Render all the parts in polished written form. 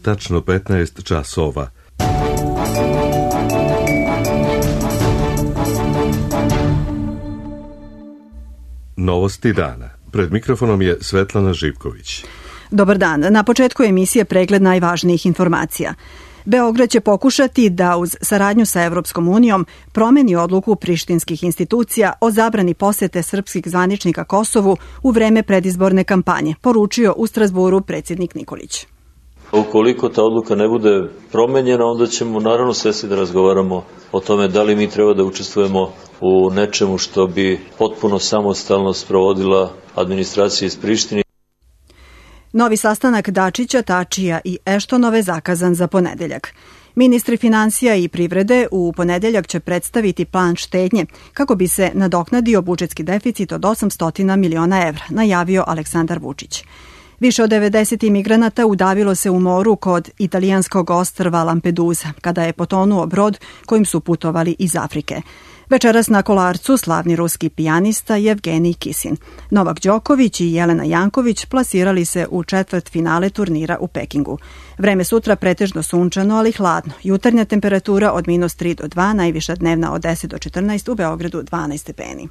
tačno 15 časova. Novosti dana. Pred mikrofonom je Svetlana Živković. Dobar dan. Na početku emisije pregled najvažnijih informacija. Beograd će pokušati da uz saradnju sa Evropskom unijom promeni odluku prištinskih institucija o zabrani posete srpskih zvaničnika Kosovu u vreme predizborne kampanje, poručio u Strazburu predsjednik Nikolić. Ukoliko ta odluka ne bude promenjena, onda ćemo naravno sesti da razgovaramo o tome da li mi treba da učestvujemo u nečemu što bi potpuno samostalno sprovodila administracija iz Prištine. Novi sastanak Dačića, Tačija i Eštonove zakazan za ponedeljak. Ministri finansija i privrede u ponedeljak će predstaviti plan štednje kako bi se nadoknadio budžetski deficit od 800 miliona evra, najavio Aleksandar Vučić. Više od 90 imigranata udavilo se u moru kod italijanskog ostrva Lampedusa, kada je potonuo brod kojim su putovali iz Afrike. Večeras na Kolarcu slavni ruski pijanista Jevgenij Kisin. Novak Đoković i Jelena Janković plasirali se u četvrtfinale turnira u Pekingu. Vreme sutra pretežno sunčano, ali hladno. Jutarnja temperatura od -3 do 2, najviša dnevna od 10 do 14, u Beogradu 12 stepeni.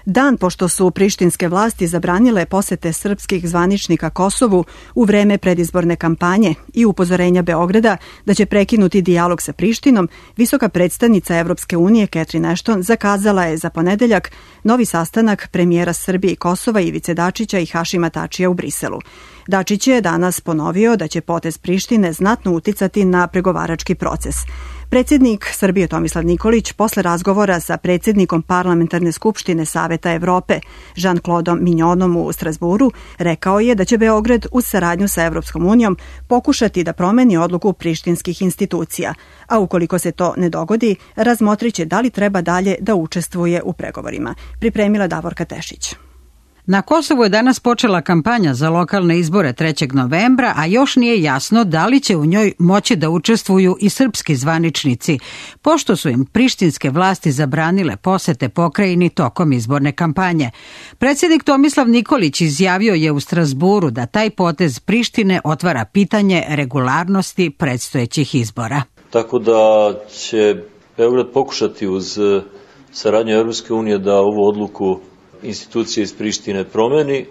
Dan pošto su prištinske vlasti zabranile posete srpskih zvaničnika Kosovu u vreme predizborne kampanje i upozorenja Beograda da će prekinuti dijalog sa Prištinom, visoka predstavnica Evropske unije Catherine Ashton zakazala je za ponedeljak novi sastanak premijera Srbije i Kosova Ivice Dačića i Hašima Tačija u Briselu. Dačić je danas ponovio da će potez Prištine znatno uticati na pregovarački proces. Predsjednik Srbije Tomislav Nikolić posle razgovora sa predsjednikom Parlamentarne skupštine Saveta Evrope Jean-Claudeom Mignonom u Strazburu rekao je da će Beograd uz saradnju sa Evropskom unijom pokušati da promeni odluku prištinskih institucija, a ukoliko se to ne dogodi, razmotriće da li treba dalje da učestvuje u pregovorima. Pripremila Davorka Tešić. Na Kosovu je danas počela kampanja za lokalne izbore 3. novembra, a još nije jasno da li će u njoj moći da učestvuju i srpski zvaničnici, pošto su im prištinske vlasti zabranile posete pokrajini tokom izborne kampanje. Predsjednik Tomislav Nikolić izjavio je u Strazburu da taj potez Prištine otvara pitanje regularnosti predstojećih izbora. Tako da će Beograd pokušati uz saradnju Evropske unije da ovu odluku institucije iz Prištine promeni,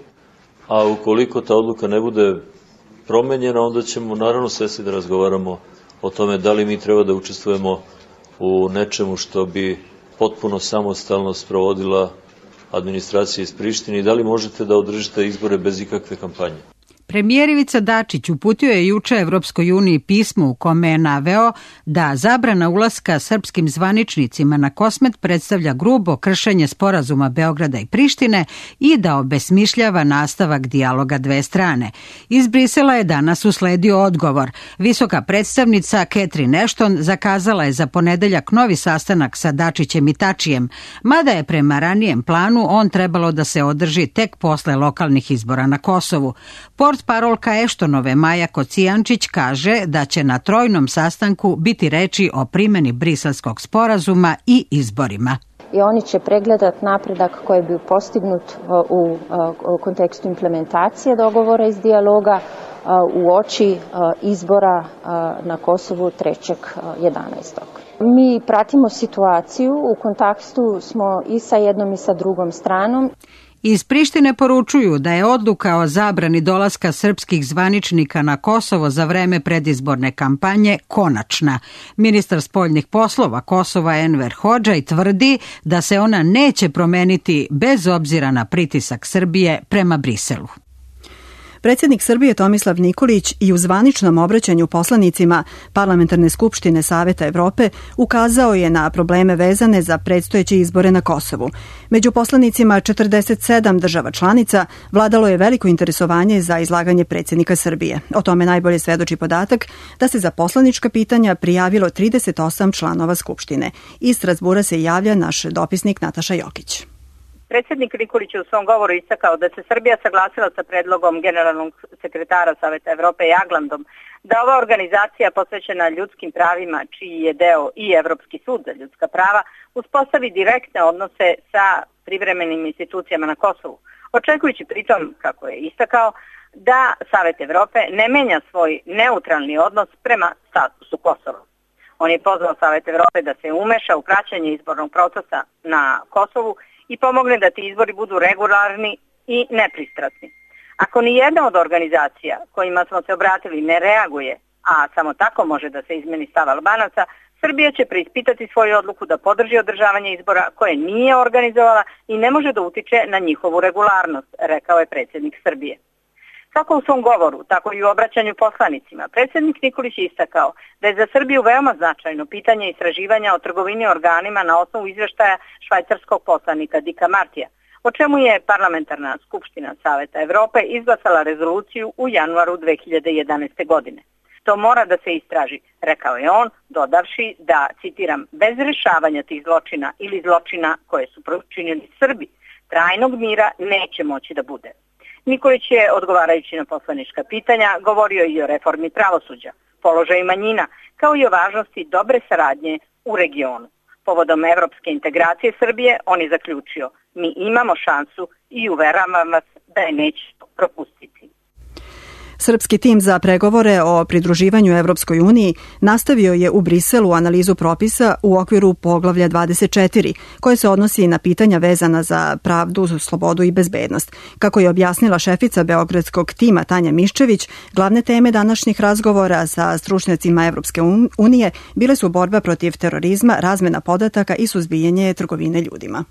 a ukoliko ta odluka ne bude promenjena, onda ćemo naravno sesti da razgovaramo o tome da li mi treba da učestvujemo u nečemu što bi potpuno samostalno sprovodila administracija iz Prištine i da li možete da održite izbore bez ikakve kampanje. Premijer Ivica Dačić uputio je juče Evropskoj uniji pismo u kome je naveo da zabrana ulaska srpskim zvaničnicima na Kosmet predstavlja grubo kršenje sporazuma Beograda i Prištine i da obesmišljava nastavak dijaloga dve strane. Iz Brisela je danas usledio odgovor. Visoka predstavnica Catherine Ashton zakazala je za ponedeljak novi sastanak sa Dačićem i Tačijem, mada je prema ranijem planu on trebalo da se održi tek posle lokalnih izbora na Kosovu. Portparolka Eštonove Maja Kocijančić kaže da će na trojnom sastanku biti reči o primjeni Briselskog sporazuma i izborima. I oni će pregledati napredak koji bi postignut u kontekstu implementacije dogovora iz dijaloga u oči izbora na Kosovu 3.11. Mi pratimo situaciju, u kontaktu smo i sa jednom i sa drugom stranom. Iz Prištine poručuju da je odluka o zabrani dolaska srpskih zvaničnika na Kosovo za vreme predizborne kampanje konačna. Ministar spoljnih poslova Kosova Enver Hodžaj tvrdi da se ona neće promeniti bez obzira na pritisak Srbije prema Briselu. Predsjednik Srbije Tomislav Nikolić i u zvaničnom obraćanju poslanicima Parlamentarne skupštine Saveta Evrope ukazao je na probleme vezane za predstojeće izbore na Kosovu. Među poslanicima 47 država članica vladalo je veliko interesovanje za izlaganje predsjednika Srbije. O tome najbolje svedoči podatak da se za poslanička pitanja prijavilo 38 članova Skupštine. Iz Strazbura se javlja naš dopisnik Nataša Jokić. Predsjednik Nikolić je u svom govoru istakao da se Srbija saglasila sa predlogom generalnog sekretara Saveta Evrope Jaglandom da ova organizacija posvećena ljudskim pravima, čiji je deo i Evropski sud za ljudska prava, uspostavi direktne odnose sa privremenim institucijama na Kosovu. očekujući pritom, kako je istakao, da Savet Evrope ne menja svoj neutralni odnos prema statusu Kosova. On je pozvao Savet Evrope da se umeša u praćenje izbornog procesa na Kosovu i pomogne da ti izbori budu regularni i nepristrasni. Ako ni jedna od organizacija kojima smo se obratili ne reaguje, a samo tako može da se izmeni stav Albanaca, Srbija će preispitati svoju odluku da podrži održavanje izbora koje nije organizovala i ne može da utiče na njihovu regularnost, rekao je predsjednik Srbije. Kako u svom govoru, tako i u obraćanju poslanicima, predsjednik Nikolić je istakao da je za Srbiju veoma značajno pitanje istraživanja o trgovini organima na osnovu izveštaja švajcarskog poslanika Dika Martija, o čemu je Parlamentarna skupština Saveta Evrope izglasala rezoluciju u januaru 2011. godine. To mora da se istraži, rekao je on, dodavši da, citiram, bez rešavanja tih zločina ili zločina koje su počinili Srbi, trajnog mira neće moći da bude. Nikolić je, odgovarajući na poslanička pitanja, govorio i o reformi pravosuđa, položaju manjina, kao i o važnosti dobre saradnje u regionu. Povodom evropske integracije Srbije, on je zaključio, mi imamo šansu i uveravam vas da je nećemo propustiti. Srpski tim za pregovore o pridruživanju Evropskoj uniji nastavio je u Briselu analizu propisa u okviru poglavlja 24, koje se odnosi na pitanja vezana za pravdu, slobodu i bezbednost. Kako je objasnila šefica beogradskog tima Tanja Miščević, glavne teme današnjih razgovora sa stručnjacima Evropske unije bile su borba protiv terorizma, razmena podataka i suzbijanje trgovine ljudima.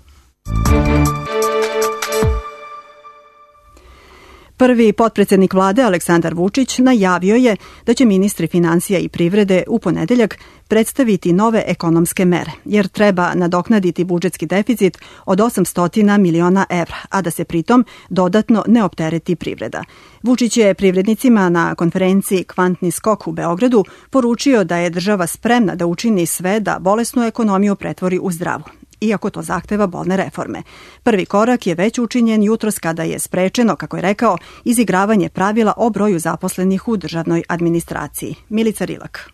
Prvi potpredsednik vlade Aleksandar Vučić najavio je da će ministri finansija i privrede u ponedeljak predstaviti nove ekonomske mere, jer treba nadoknaditi budžetski deficit od 800 miliona evra, a da se pritom dodatno ne optereti privreda. Vučić je privrednicima na konferenciji Kvantni skok u Beogradu poručio da je država spremna da učini sve da bolesnu ekonomiju pretvori u zdravu, iako to zahteva bolne reforme. Prvi korak je već učinjen jutros kada je sprečeno, kako je rekao, izigravanje pravila o broju zaposlenih u državnoj administraciji. Milica Rilak.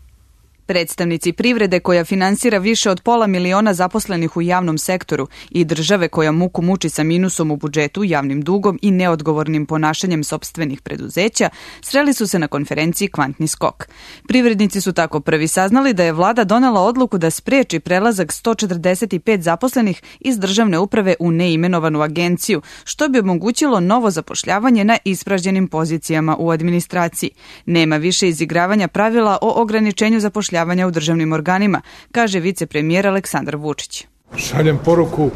Predstavnici privrede koja finansira više od 500 miliona zaposlenih u javnom sektoru i države koja muku muči sa minusom u budžetu, javnim dugom i neodgovornim ponašanjem sopstvenih preduzeća, sreli su se na konferenciji Kvantni skok. Privrednici su tako prvi saznali da je vlada donela odluku da spreči prelazak 145 zaposlenih iz državne uprave u neimenovanu agenciju, što bi omogućilo novo zapošljavanje na ispražnjenim pozicijama u administraciji. Nema više izigravanja pravila o ograničenju zapošljavanja u državnim organima, kaže vicepremijer Aleksandar Vučić. Šaljem poruku,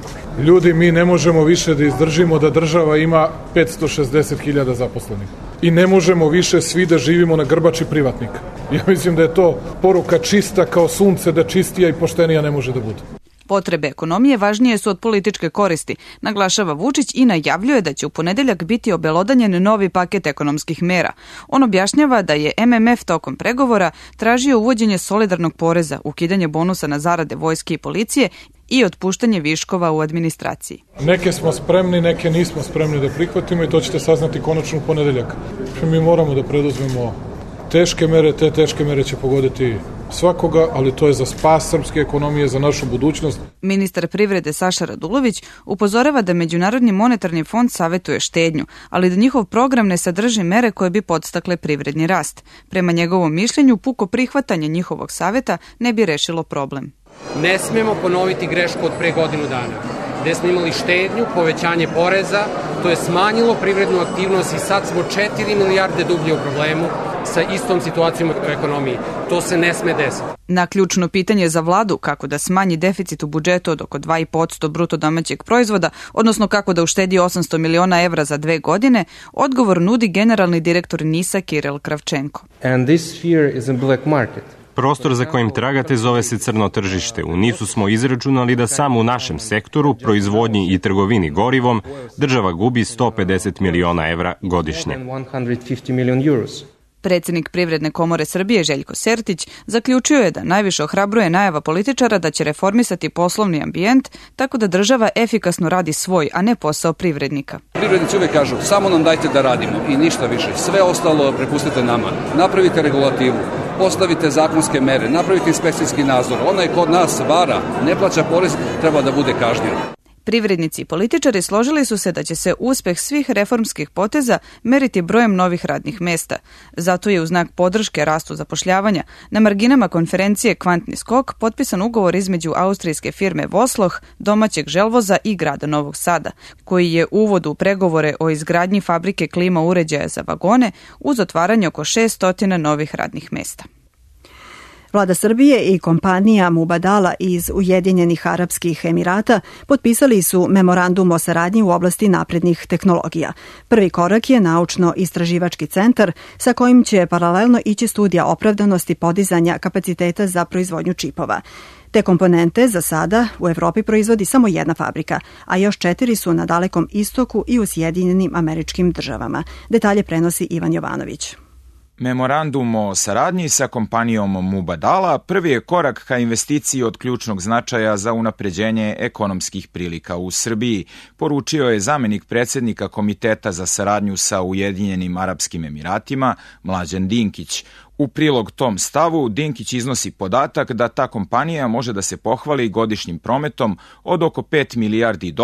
ljudi, mi ne možemo više da izdržimo da država ima 560.000 zaposlenih. I ne možemo više svi da živimo na grbači privatnika. Ja mislim da je to poruka čista kao sunce, da čistija i poštenija ne može da bude. Potrebe ekonomije važnije su od političke koristi, naglašava Vučić i najavljuje da će u ponedeljak biti obelodanjen novi paket ekonomskih mera. On objašnjava da je MMF tokom pregovora tražio uvođenje solidarnog poreza, ukidanje bonusa na zarade vojske i policije i otpuštanje viškova u administraciji. Neke smo spremni, neke nismo spremni da prihvatimo i to ćete saznati konačno u ponedeljak. Mi moramo da preduzmemo teške mere, te teške mere će pogoditi svakoga, ali to je za spas srpske ekonomije, za našu budućnost. Ministar privrede Saša Radulović upozorava da Međunarodni monetarni fond savetuje štednju, ali da njihov program ne sadrži mere koje bi podstakle privredni rast. Prema njegovom mišljenju, puko prihvatanje njihovog saveta ne bi rešilo problem. Ne smemo ponoviti grešku od pre godinu dana, gde smo imali štednju, povećanje poreza, to je smanjilo privrednu aktivnost i sad smo 4 milijarde dublje u problemu sa istom situacijom u ekonomiji. To se ne sme desiti. Na ključno pitanje za vladu kako da smanji deficit u budžetu od oko 2,5% bruto domaćeg proizvoda, odnosno kako da uštedi 800 miliona evra za 2 godine, odgovor nudi generalni direktor NIS-a Kiril Kravčenko. And this sphere is a black market. Prostor za kojim tragate zove se crno tržište. U NIS-u smo izračunali da samo u našem sektoru, proizvodnji i trgovini gorivom, država gubi 150 miliona evra godišnje. Predsjednik Privredne komore Srbije Željko Sertić zaključio je da najviše ohrabruje najava političara da će reformisati poslovni ambijent tako da država efikasno radi svoj, a ne posao privrednika. Privrednici uvijek kažu, samo nam dajte da radimo i ništa više. Sve ostalo prepustite nama. Napravite regulativu, postavite zakonske mere, napravite inspekcijski nadzor. Onaj kod nas vara, ne plaća porez, treba da bude kažnjen. Privrednici i političari složili su se da će se uspeh svih reformskih poteza meriti brojem novih radnih mesta. Zato je u znak podrške rastu zapošljavanja na marginama konferencije Kvantni skok potpisan ugovor između austrijske firme Vosloh, domaćeg želvoza i grada Novog Sada, koji je uvod u pregovore o izgradnji fabrike klima uređaja za vagone uz otvaranje oko 600 novih radnih mesta. Vlada Srbije i kompanija Mubadala iz Ujedinjenih Arapskih Emirata potpisali su memorandum o saradnji u oblasti naprednih tehnologija. Prvi korak je naučno-istraživački centar sa kojim će paralelno ići studija opravdanosti podizanja kapaciteta za proizvodnju čipova. Te komponente za sada u Evropi proizvodi samo jedna fabrika, a još 4 su na Dalekom istoku i u Sjedinjenim Američkim Državama. Detalje prenosi Ivan Jovanović. Memorandum o saradnji sa kompanijom Mubadala prvi je korak ka investiciji od ključnog značaja za unapređenje ekonomskih prilika u Srbiji, poručio je zamenik predsjednika Komiteta za saradnju sa Ujedinjenim Arapskim Emiratima, Mlađan Dinkić. U prilog tom stavu Dinkić iznosi podatak da ta kompanija može da se pohvali godišnjim prometom od oko $5 milijardi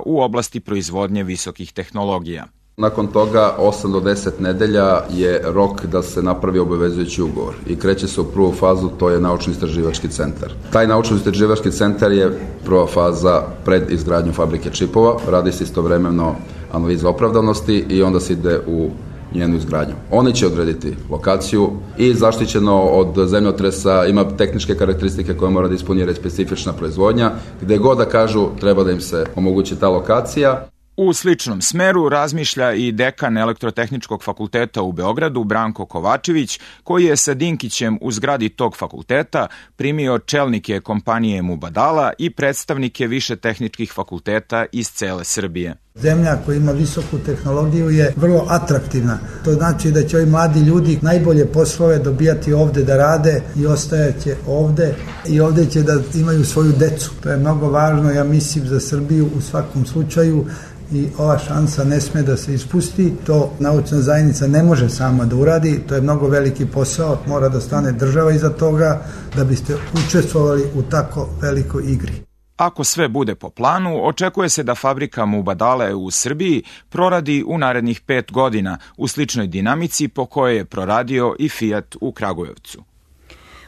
u oblasti proizvodnje visokih tehnologija. Nakon toga 8 do 10 nedelja je rok da se napravi obavezujući ugovor i kreće se u prvu fazu, to je naučno-istraživački centar. Taj naučno-istraživački centar je prva faza pred izgradnju fabrike čipova, radi se istovremeno analiza opravdanosti i onda se ide u njenu izgradnju. Oni će odrediti lokaciju i zaštićeno od zemljotresa, ima tehničke karakteristike koje mora da ispunira specifična proizvodnja, gde god da kažu treba da im se omogući ta lokacija. U sličnom smeru razmišlja i dekan Elektrotehničkog fakulteta u Beogradu Branko Kovačević, koji je sa Dinkićem u zgradi tog fakulteta primio čelnike kompanije Mubadala i predstavnike više tehničkih fakulteta iz cele Srbije. Zemlja koja ima visoku tehnologiju je vrlo atraktivna. To znači da će ovi mladi ljudi najbolje poslove dobijati ovde da rade i ostajaće ovde i ovde će da imaju svoju decu. To je mnogo važno, ja mislim, za Srbiju u svakom slučaju i ova šansa ne sme da se ispusti. To naučna zajednica ne može sama da uradi, to je mnogo veliki posao, mora da stane država iza toga da biste učestvovali u tako velikoj igri. Ako sve bude po planu, očekuje se da fabrika Mubadale u Srbiji proradi u narednih 5 godina u sličnoj dinamici po kojoj je proradio i Fiat u Kragujevcu.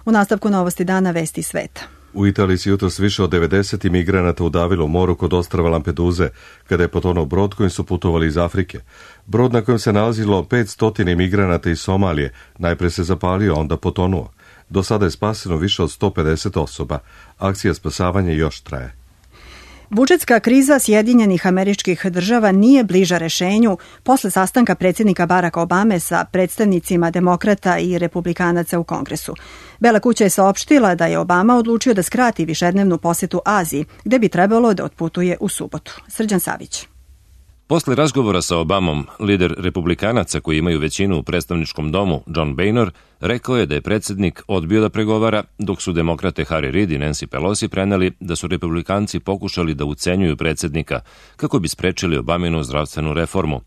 U nastavku Novosti dana, vesti sveta. U Italiji se jutros više od 90 imigranata udavilo u moru kod ostrva Lampeduze, kada je potonuo brod kojim su putovali iz Afrike. Brod na kojem se nalazilo 500 imigranata iz Somalije najpre se zapalio, onda potonuo. Do sada je spaseno više od 150 osoba. Akcija spasavanja još traje. Budžetska kriza Sjedinjenih Američkih Država nije bliža rešenju posle sastanka predsjednika Baracka Obame sa predstavnicima demokrata i republikanaca u Kongresu. Bela kuća je saopštila da je Obama odlučio da skrati višednevnu posetu Aziji, gde bi trebalo da otputuje u subotu. Srđan Savić. Posle razgovora sa Obamom, lider republikanaca koji imaju većinu u predstavničkom domu, John Boehner, rekao je da je predsjednik odbio da pregovara, dok su demokrate Harry Reid i Nancy Pelosi preneli da su republikanci pokušali da ucenjuju predsjednika kako bi sprečili Obaminu zdravstvenu reformu.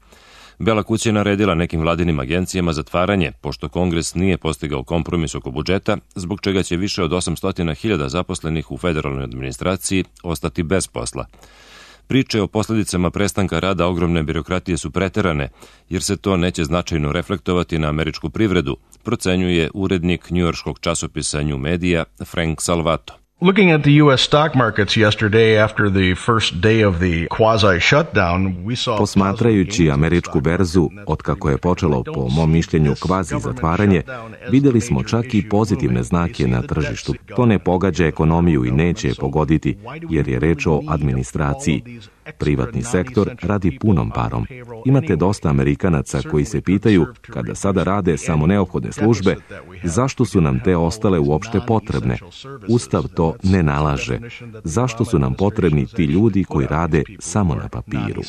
Bela kuća je naredila nekim vladinim agencijama zatvaranje, pošto Kongres nije postigao kompromis oko budžeta, zbog čega će više od 800.000 zaposlenih u federalnoj administraciji ostati bez posla. Priče o posljedicama prestanka rada ogromne birokratije su preterane, jer se to neće značajno reflektovati na američku privredu, procenjuje urednik njujorškog časopisa New Media Frank Salvato. Looking at the U.S. stock markets yesterday after the first day of the quasi-shutdown, we saw... Posmatrajući američku berzu, otkako je počelo, po mom mišljenju, kvazi zatvaranje, vidjeli smo čak i pozitivne znake na tržištu. To ne pogađa ekonomiju i neće je pogoditi, jer je reč o administraciji. Privatni sektor radi punom parom. Imate dosta Amerikanaca koji se pitaju, kada sada rade samo neophodne službe, zašto su nam te ostale uopšte potrebne? Ustav to ne nalaže. Zašto su nam potrebni ti ljudi koji rade samo na papiru?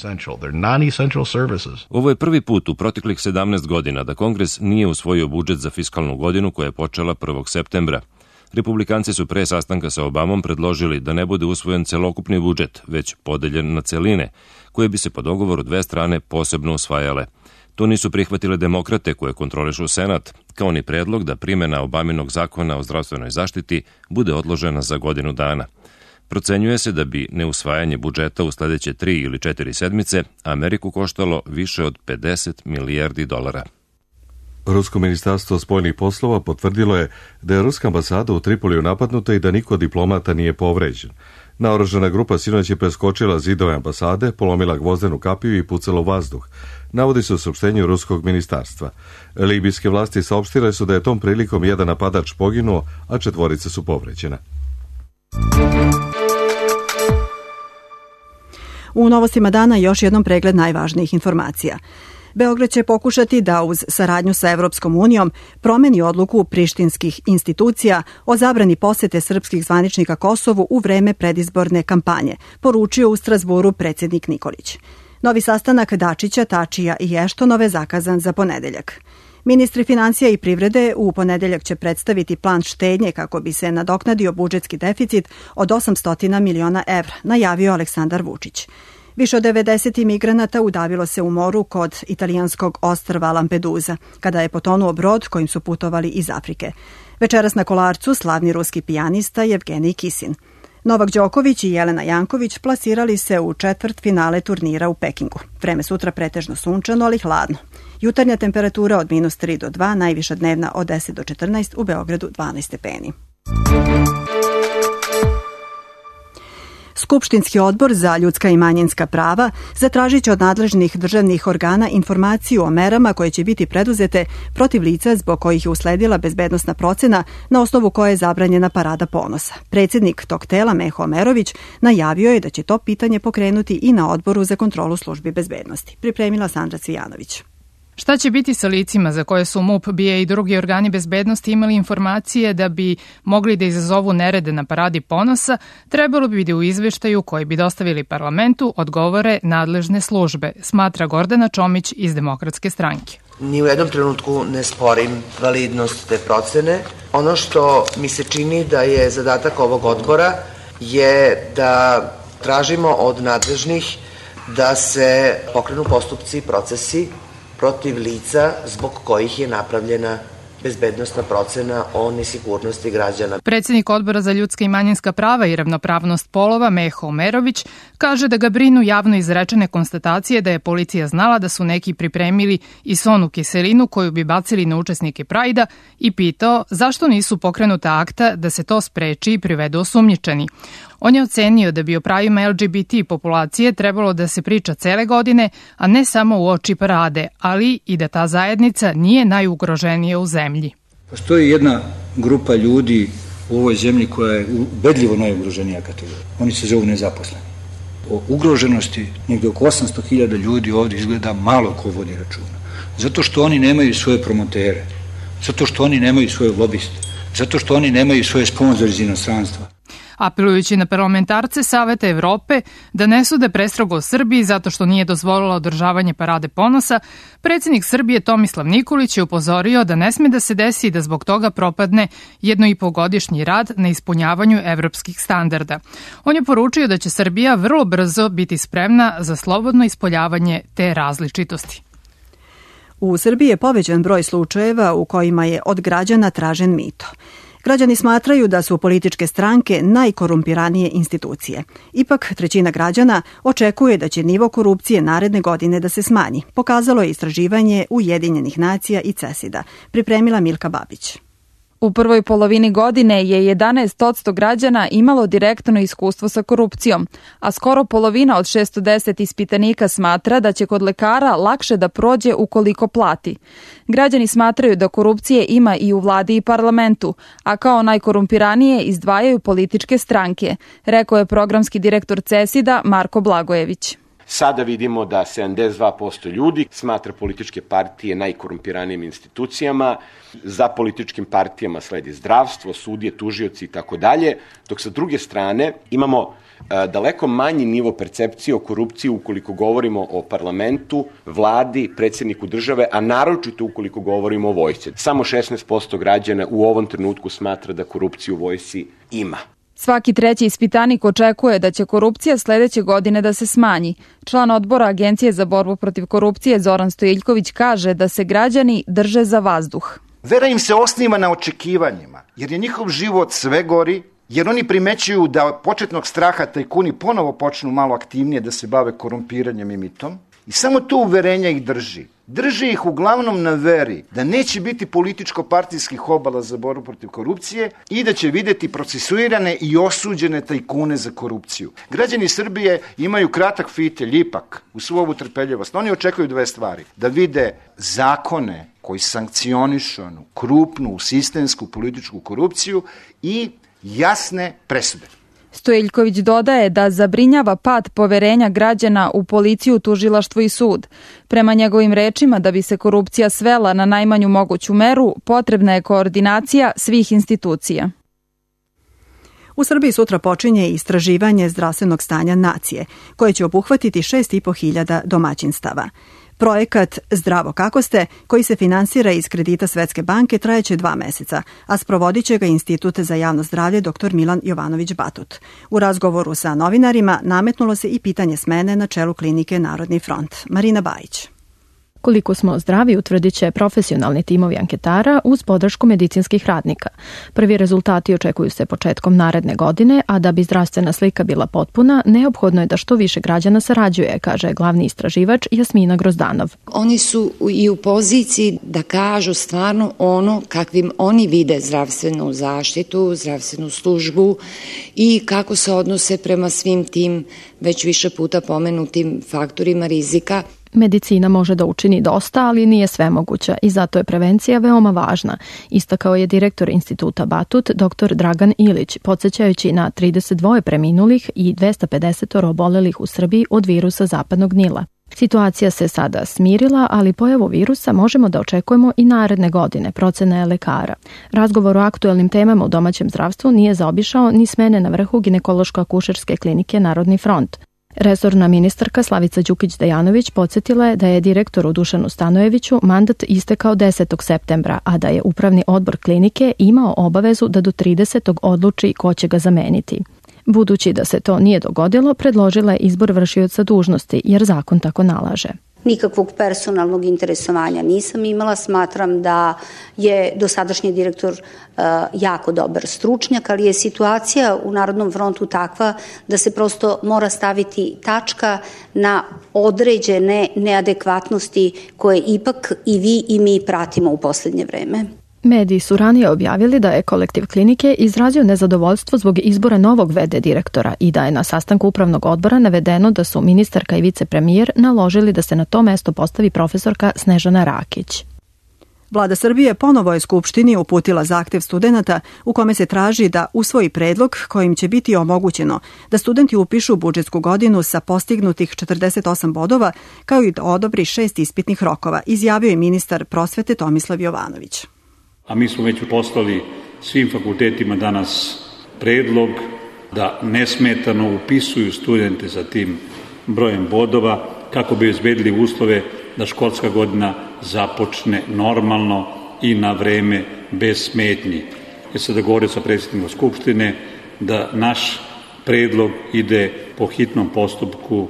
Ovo je prvi put u proteklih 17 godina da Kongres nije usvojio budžet za fiskalnu godinu koja je počela 1. septembra. Republikanci su pre sastanka sa Obamom predložili da ne bude usvojen celokupni budžet, već podeljen na celine, koje bi se po dogovoru dve strane posebno usvajale. To nisu prihvatile demokrate koje kontrolišu Senat, kao ni predlog da primjena Obaminog zakona o zdravstvenoj zaštiti bude odložena za godinu dana. Procenjuje se da bi neusvajanje budžeta u sledeće 3 ili 4 sedmice Ameriku koštalo više od 50 milijardi dolara. Rusko ministarstvo spoljnih poslova potvrdilo je da je ruska ambasada u Tripoliju napadnuta i da niko od diplomata nije povređen. Naoružana grupa sinoć je preskočila zidove ambasade, polomila gvozdenu kapiju i pucala u vazduh, navodi se u saopštenju ruskog ministarstva. Libijske vlasti saopštile su da je tom prilikom jedan napadač poginuo, a 4 su povređena. U novostima dana još jednom pregled najvažnijih informacija. Beograd će pokušati da uz saradnju sa Evropskom unijom promeni odluku prištinskih institucija o zabrani posete srpskih zvaničnika Kosovu u vreme predizborne kampanje, poručio u Strazburu predsjednik Nikolić. Novi sastanak Dačića, Tačija i Eštonove zakazan za ponedeljak. Ministri financija i privrede u ponedeljak će predstaviti plan štednje kako bi se nadoknadio budžetski deficit od 800 miliona evra, najavio Aleksandar Vučić. Više od 90 imigranata udavilo se u moru kod italijanskog ostrva Lampedusa, kada je potonuo brod kojim su putovali iz Afrike. Večeras na Kolarcu slavni ruski pijanista Jevgenij Kisin. Novak Đoković i Jelena Janković plasirali se u četvrtfinale turnira u Pekingu. Vreme sutra pretežno sunčano, ali hladno. Jutarnja temperatura od -3 do 2, najviša dnevna od 10 do 14, u Beogradu 12 stepeni. Skupštinski odbor za ljudska i manjinska prava zatražit će od nadležnih državnih organa informaciju o merama koje će biti preduzete protiv lica zbog kojih je usledila bezbednosna procena na osnovu koje je zabranjena Parada ponosa. Predsjednik tog tela, Meho Omerović, najavio je da će to pitanje pokrenuti i na Odboru za kontrolu službi bezbednosti. Pripremila Sandra Cvijanović. Šta će biti sa licima za koje su MUP, BIA i drugi organi bezbednosti imali informacije da bi mogli da izazovu nerede na Paradi ponosa, trebalo bi da u izveštaju koji bi dostavili parlamentu odgovore nadležne službe, smatra Gordana Čomić iz Demokratske stranke. Ni u jednom trenutku ne sporim validnost te procene. Ono što mi se čini da je zadatak ovog odbora je da tražimo od nadležnih da se pokrenu postupci i procesi protiv lica zbog kojih je napravljena bezbednosna procena o nesigurnosti građana. Predsjednik Odbora za ljudska i manjinska prava i ravnopravnost polova Meho Omerović kaže da ga brinu javno izrečene konstatacije da je policija znala da su neki pripremili i sonu kiselinu koju bi bacili na učesnike Prajda i pitao zašto nisu pokrenuta akta da se to spreči i privedu osumnjičeni. On je ocenio da bi o pravima LGBT populacije trebalo da se priča cele godine, a ne samo u oči parade, ali i da ta zajednica nije najugroženija u zemlji. Postoji jedna grupa ljudi u ovoj zemlji koja je ubedljivo najugroženija kategorija. Oni se zovu nezaposleni. O ugroženosti negde oko 800.000 ljudi ovdje izgleda malo ko vodi računa. Zato što oni nemaju svoje promotere, zato što oni nemaju svoje lobiste, zato što oni nemaju svoje sponzore iz inostranstva. Apelujući na parlamentarce Saveta Evrope da ne sude prestrogo o Srbiji zato što nije dozvolila održavanje Parade ponosa, predsjednik Srbije Tomislav Nikolić je upozorio da ne sme da se desi da zbog toga propadne 1,5-godišnji rad na ispunjavanju evropskih standarda. On je poručio da će Srbija vrlo brzo biti spremna za slobodno ispoljavanje te različitosti. U Srbiji je povećan broj slučajeva u kojima je od građana tražen mito. Građani smatraju da su političke stranke najkorumpiranije institucije. Ipak, 1/3 građana očekuje da će nivo korupcije naredne godine da se smanji. Pokazalo je istraživanje Ujedinjenih nacija i CESID-a. Pripremila Milka Babić. U prvoj polovini godine je 11% građana imalo direktno iskustvo sa korupcijom, a skoro polovina od 610 ispitanika smatra da će kod lekara lakše da prođe ukoliko plati. Građani smatraju da korupcije ima i u vladi i parlamentu, a kao najkorumpiranije izdvajaju političke stranke, rekao je programski direktor CESID-a Marko Blagojević. Sada vidimo da 72% ljudi smatra političke partije najkorumpiranijim institucijama, za političkim partijama sledi zdravstvo, sudije, tužioci i tako dalje, dok sa druge strane imamo daleko manji nivo percepcije o korupciji ukoliko govorimo o parlamentu, vladi, predsjedniku države, a naročito ukoliko govorimo o vojsci. Samo 16% građana u ovom trenutku smatra da korupciju u vojsci ima. Svaki treći ispitanik očekuje da će korupcija sledeće godine da se smanji. Član odbora Agencije za borbu protiv korupcije Zoran Stojiljković kaže da se građani drže za vazduh. Vera im se osniva na očekivanjima, jer je njihov život sve gori, jer oni primećuju da početnog straha tajkuni ponovo počnu malo aktivnije da se bave korumpiranjem i mitom i samo to uverenja ih drži. Drži ih uglavnom na veri da neće biti političko-partijskih obala za borbu protiv korupcije i da će videti procesuirane i osuđene tajkune za korupciju. Građani Srbije imaju kratak fitilj ipak u svu ovu trpeljivost. Oni očekuju dve stvari. Da vide zakone koji sankcionišu krupnu, sistemsku političku korupciju i jasne presude. Stojiljković dodaje da zabrinjava pad poverenja građana u policiju, tužilaštvo i sud. Prema njegovim rečima, da bi se korupcija svela na najmanju moguću meru, potrebna je koordinacija svih institucija. U Srbiji sutra počinje istraživanje zdravstvenog stanja nacije, koje će obuhvatiti 6.500 domaćinstava. Projekat Zdravo kako ste, koji se finansira iz kredita Svetske banke, trajeće 2 meseca, a sprovodit će ga Institut za javno zdravlje dr. Milan Jovanović Batut. U razgovoru sa novinarima nametnulo se i pitanje smene na čelu klinike Narodni front. Marina Bajić. Koliko smo zdravi utvrdit će profesionalni timovi anketara uz podršku medicinskih radnika. Prvi rezultati očekuju se početkom naredne godine, a da bi zdravstvena slika bila potpuna, neophodno je da što više građana sarađuje, kaže glavni istraživač Jasmina Grozdanov. Oni su i u poziciji da kažu stvarno ono kakvim oni vide zdravstvenu zaštitu, zdravstvenu službu i kako se odnose prema svim tim već više puta pomenutim faktorima rizika. Medicina može da učini dosta, ali nije svemoguća i zato je prevencija veoma važna, istakao je direktor Instituta Batut, dr. Dragan Ilić, podsjećajući na 32 preminulih i 250 obolelih u Srbiji od virusa zapadnog Nila. Situacija se sada smirila, ali pojavu virusa možemo da očekujemo i naredne godine, procena je lekara. Razgovor o aktuelnim temama u domaćem zdravstvu nije zaobišao ni smene na vrhu ginekološko-akušerske klinike Narodni front. Resorna ministarka Slavica Đukić-Dejanović podsjetila je da je direktoru Dušanu Stanojeviću mandat istekao 10. septembra, a da je upravni odbor klinike imao obavezu da do 30. odluči ko će ga zameniti. Budući da se to nije dogodilo, predložila je izbor vršioca dužnosti, jer zakon tako nalaže. Nikakvog personalnog interesovanja nisam imala, smatram da je dosadašnji direktor jako dobar stručnjak, ali je situacija u Narodnom frontu takva da se prosto mora staviti tačka na određene neadekvatnosti koje ipak i vi i mi pratimo u poslednje vreme. Mediji su ranije objavili da je kolektiv klinike izrazio nezadovoljstvo zbog izbora novog v.d. direktora i da je na sastanku upravnog odbora navedeno da su ministarka i vicepremijer naložili da se na to mesto postavi profesorka Snežana Rakić. Vlada Srbije ponovo je Skupštini uputila zahtev studenata u kome se traži da usvoji predlog kojim će biti omogućeno da studenti upišu budžetsku godinu sa postignutih 48 bodova, kao i da odobri 6 ispitnih rokova, izjavio je ministar prosvete Tomislav Jovanović. A mi smo već poslali svim fakultetima danas predlog da nesmetano upisuju studente sa tim brojem bodova kako bi obezbedili uslove da školska godina započne normalno i na vreme bez smetnji. Ja sam dogovorio sa predsjednikom Skupštine da naš predlog ide po hitnom postupku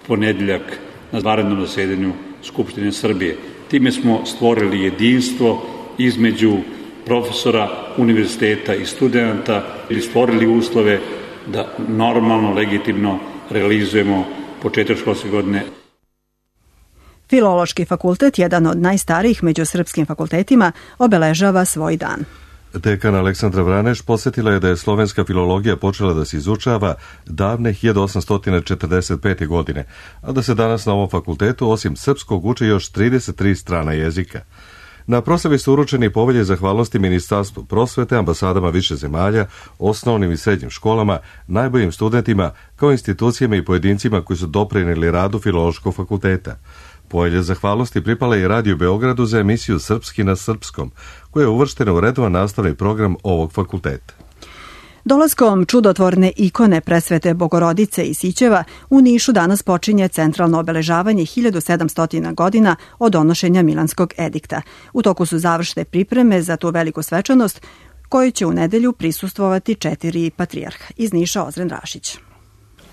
ponedeljak na vanrednom zasedanju Skupštine Srbije. Time smo stvorili jedinstvo između profesora, univerziteta i studenta i stvorili uslove da normalno, legitimno realizujemo početak školske godine. Filološki fakultet, jedan od najstarijih među srpskim fakultetima, obeležava svoj dan. Dekan Aleksandra Vraneš posjetila je da je slovenska filologija počela da se izučava davne 1845. godine, a da se danas na ovom fakultetu osim srpskog uče još 33 strana jezika. Na proslavi su uručeni povelje zahvalnosti Ministarstvu prosvete, ambasadama više zemalja, osnovnim i srednjim školama, najboljim studentima, kao institucijama i pojedincima koji su doprinijeli radu Filološkog fakulteta. Povelje zahvalnosti pripala i Radio Beogradu za emisiju Srpski na srpskom, koja je uvrštena u redovan nastavni program ovog fakulteta. Dolaskom čudotvorne ikone Presvete Bogorodice i Sićeva u Nišu danas počinje centralno obeležavanje 1700 godina od donošenja Milanskog edikta. U toku su završne pripreme za tu veliku svečanost koju će u nedelju prisustvovati 4 patrijarha. Iz Niša Ozren Rašić.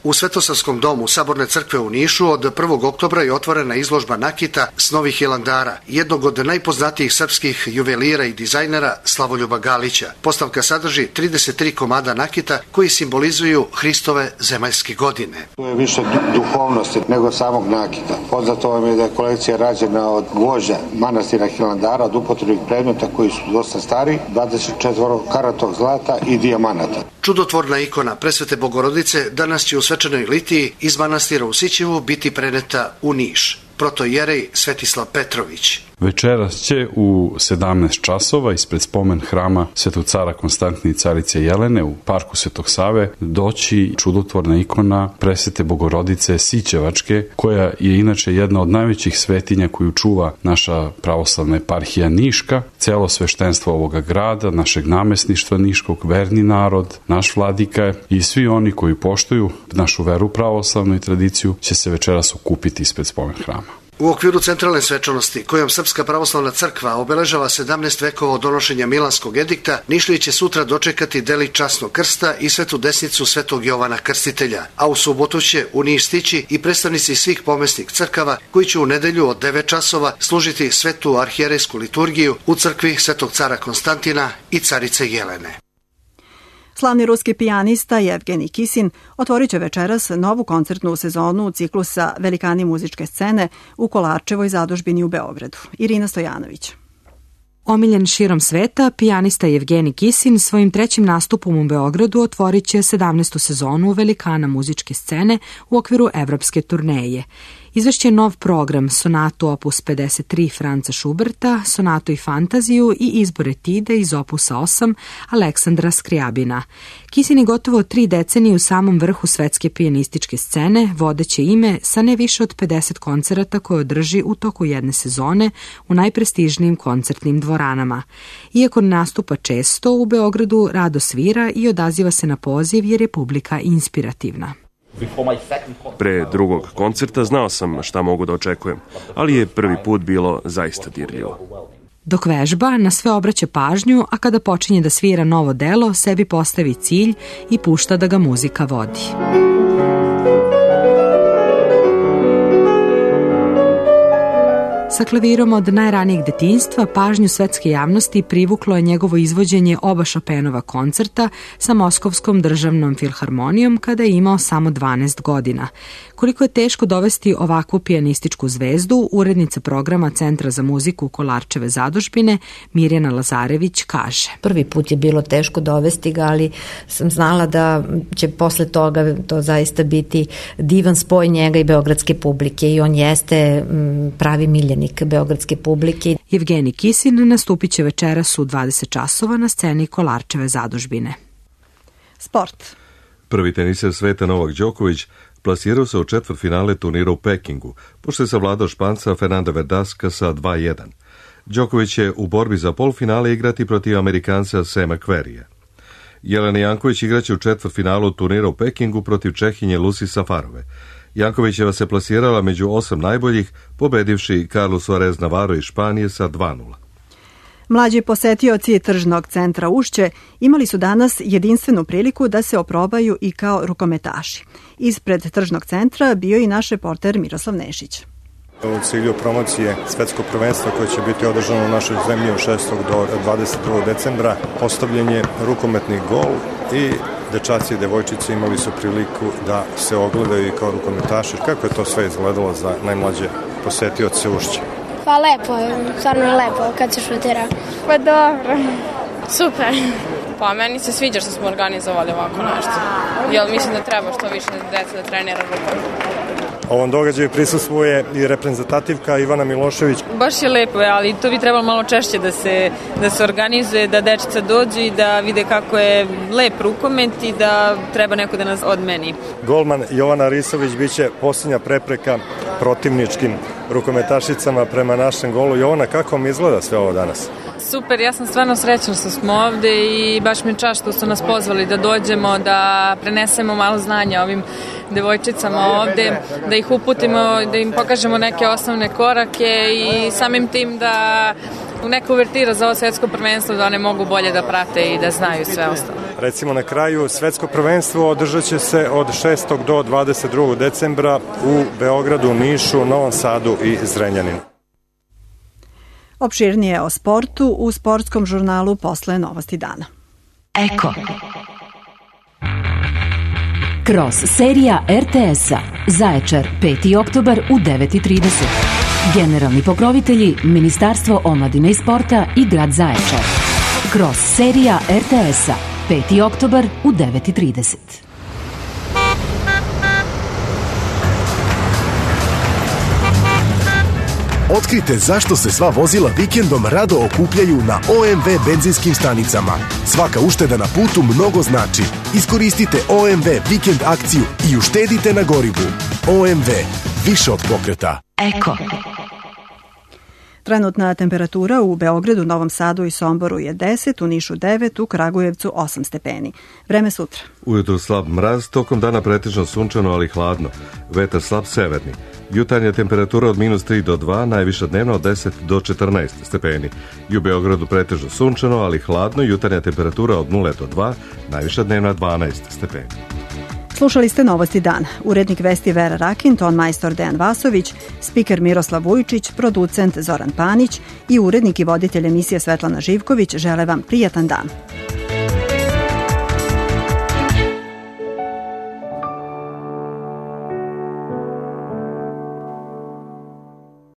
U Svetosavskom domu Saborne crkve u Nišu od 1. oktobra je otvorena izložba nakita s Novih Hilandara, jednog od najpoznatijih srpskih juvelira i dizajnera Slavoljuba Galića. Postavka sadrži 33 komada nakita koji simbolizuju Hristove zemaljske godine. To je više duhovnosti nego samog nakita. Poznato vam je da je kolekcija rađena od gvožđa manastira Hilandara, od upotrebnih predmeta koji su dosta stari, 24 karatog zlata i dijamanata. Čudotvorna ikona Presvete Bogorodice danas će u svečanoj litiji iz manastira u Sićevu biti preneta u Niš. Protojerej Svetislav Petrović. Večeras će u 17 časova ispred spomen hrama Svetog cara Konstantine i carice Jelene u parku Svetog Save doći čudotvorna ikona Presvete Bogorodice Sićevačke, koja je inače jedna od najvećih svetinja koju čuva naša pravoslavna eparhija Niška, celo sveštenstvo ovoga grada, našeg namesništva Niškog, verni narod, naš vladika i svi oni koji poštuju našu veru pravoslavnu i tradiciju će se večeras okupiti ispred spomen hrama. U okviru centralne svečanosti, kojom Srpska pravoslavna crkva obeležava 17 vekova od donošenja Milanskog edikta, Nišlije će sutra dočekati delić časnog krsta i svetu desnicu Svetog Jovana Krstitelja, a u subotu će u Niš stići i predstavnici svih pomesnih crkava koji će u nedelju od 9 časova služiti svetu arhijerejsku liturgiju u crkvi Svetog cara Konstantina i carice Jelene. Slavni ruski pijanista Jevgenij Kisin otvorit će večeras novu koncertnu sezonu ciklusa Velikani muzičke scene u Kolarčevoj zadužbini u Beogradu. Irina Stojanović. Omiljen širom sveta, pijanista Jevgenij Kisin svojim trećim nastupom u Beogradu otvorit će 17. sezonu Velikana muzičke scene u okviru evropske turneje. Izvešće nov program, sonatu opus 53 Franca Šuberta, sonatu i fantaziju i izbor etide iz opusa 8 Aleksandra Skrijabina. Kisin je gotovo 3 decenije u samom vrhu svetske pijanističke scene, vodeće ime sa ne više od 50 koncerata koje održi u toku jedne sezone u najprestižnijim koncertnim dvoranama. Iako nastupa često, u Beogradu rado svira i odaziva se na poziv jer je publika inspirativna. Pre drugog koncerta znao sam šta mogu da očekujem, ali je prvi put bilo zaista dirljivo. Dok vežba, na sve obraća pažnju, a kada počinje da svira novo delo, sebi postavi cilj i pušta da ga muzika vodi. Sa klavirom od najranijeg detinjstva pažnju svetske javnosti privuklo je njegovo izvođenje oba Chopinova koncerta sa Moskovskom državnom filharmonijom kada je imao samo 12 godina. Koliko je teško dovesti ovakvu pijanističku zvezdu, urednica programa Centra za muziku Kolarčeve zadužbine Mirjana Lazarević kaže. Prvi put je bilo teško dovesti ga, ali sam znala da će posle toga to zaista biti divan spoj njega i beogradske publike i on jeste pravi miljenik beogradske publike. Jevgenij Kisin nastupit će večeras u 20 časova na sceni Kolarčeve zadužbine. Sport. Prvi teniser sveta Novak Đoković plasirao se u četvrtfinale turnira u Pekingu, pošto je savladao Španca Fernanda Verdaska sa 2-1. Đoković će u borbi za polfinale igrati protiv Amerikanca Sema Querrya. Jelena Janković igraće u četvrtfinalu turnira u Pekingu protiv Čehinje Lucy Safarove. Jankovićeva se plasirala među 8 najboljih, pobedivši Carlos Suarez Navarro iz Španije sa 2-0. Mlađi posetioci tržnog centra Ušće imali su danas jedinstvenu priliku da se oprobaju i kao rukometaši. Ispred tržnog centra bio i naš reporter Miroslav Nešić. U cilju promocije svetskog prvenstva koje će biti održano u našoj zemlji od 6. do 21. decembra postavljen je rukometni gol i dečaci i devojčice imali su priliku da se ogledaju i kao rukometaši. Kako je to sve izgledalo za najmlađe posetioce Ušća? Pa lepo je, stvarno je lepo kad se šutira. Pa dobro, super. Pa meni se sviđa što smo organizovali ovako nešto. Jer mislim da treba što više deca da trenira rukom. Ovom događaju prisustvuje i reprezentativka Ivana Milošević. Baš je lepo, ali to bi trebalo malo češće da se organizuje, da dečica dođu i da vide kako je lep rukomet i da treba neko da nas odmeni. Golman Jovana Risović biće posljednja prepreka protivničkim rukometašicama prema našem golu. Jovana, kako vam izgleda sve ovo danas? Super, ja sam stvarno srećna što smo ovde i baš mi je čast što su nas pozvali da dođemo, da prenesemo malo znanja ovim devojčicama ovde, da ih uputimo, da im pokažemo neke osnovne korake i samim tim da neka uvertira za ovo svetsko prvenstvo da one mogu bolje da prate i da znaju sve ostalo. Recimo na kraju svetsko prvenstvo održat će se od 6. do 22. decembra u Beogradu, Nišu, Novom Sadu i Zrenjaninu. Opširnije o sportu u sportskom žurnalu posle Novosti dana. Eko. Kroz serija RTS-a. Zaječar, 5. oktobar u 9:30. Generalni pokrovitelji Ministarstvo omladine i sporta i grad Zaječar. Kroz serija RTS-a. 5. oktobar u 9:30. Otkrite zašto se sva vozila vikendom rado okupljaju na OMV benzinskim stanicama. Svaka ušteda na putu mnogo znači. Iskoristite OMV vikend akciju i uštedite na gorivu. OMV, više od pokreta. Eko. Trenutna temperatura u Beogradu, Novom Sadu i Somboru je 10, u Nišu 9, u Kragujevcu 8 stepeni. Vreme sutra. Ujutru slab mraz, tokom dana pretežno sunčano, ali hladno. Vetar slab severni. Jutarnja temperatura od -3 do 2, najviša dnevna od 10 do 14 stepeni. I u Beogradu pretežno sunčano, ali hladno, jutarnja temperatura od 0 do 2, najviša dnevna 12 stepeni. Slušali ste Novosti dana. Urednik vesti Vera Rakin, ton majstor Dejan Vasović, spiker Miroslav Vujčić, producent Zoran Panić i urednik i voditelj emisije Svetlana Živković žele vam prijatan dan.